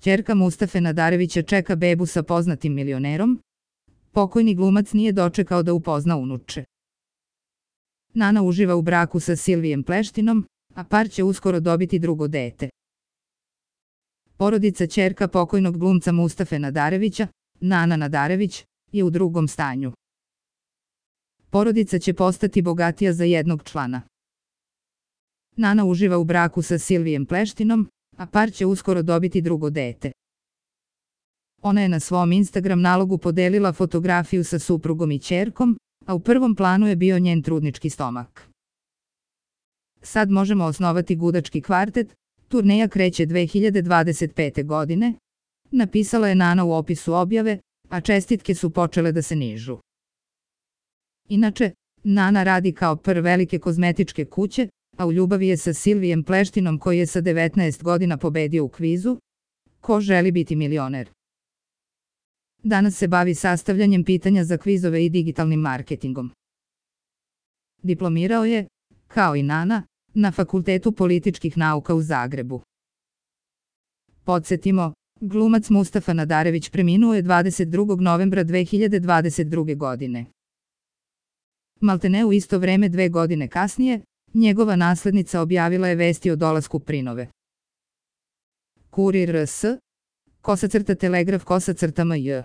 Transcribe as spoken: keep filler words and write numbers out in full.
ćerka Mustafe Nadarevića čeka bebu sa poznatim milionerom, pokojni glumac nije dočekao da upozna unuče. Nana uživa u braku sa Silvijem Pleštinom, a par će uskoro dobiti drugo dete. Porodica ćerka pokojnog glumca Mustafe Nadarevića, Nana Nadarević, je u drugom stanju. Porodica će postati bogatija za jednog člana. Nana uživa u braku sa Silvijem Pleštinom, a par će uskoro dobiti drugo dete. Ona je na svom Instagram nalogu podelila fotografiju sa suprugom i ćerkom, a u prvom planu je bio njen trudnički stomak. Sad možemo osnovati gudački kvartet, turneja kreće dve hiljade dvadeset pete. godine, napisala je Nana u opisu objave, a čestitke su počele da se nižu. Inače, Nana radi kao pr velike kozmetičke kuće, a u ljubavi je sa Silvijem Pleštinom koji je sa devetnaest godina pobedio u kvizu Ko želi biti milioner. Danas se bavi sastavljanjem pitanja za kvizove i digitalnim marketingom. Diplomirao je, kao i Nana, na Fakultetu političkih nauka u Zagrebu. Podsjetimo, glumac Mustafa Nadarević preminuo je dvadeset drugog novembra dve hiljade dvadeset druge. godine. Maltene u isto vreme dve godine kasnije, njegova naslednica objavila je vesti o dolasku prinove. Kurir R S, kosa crta telegraf kosa crta M J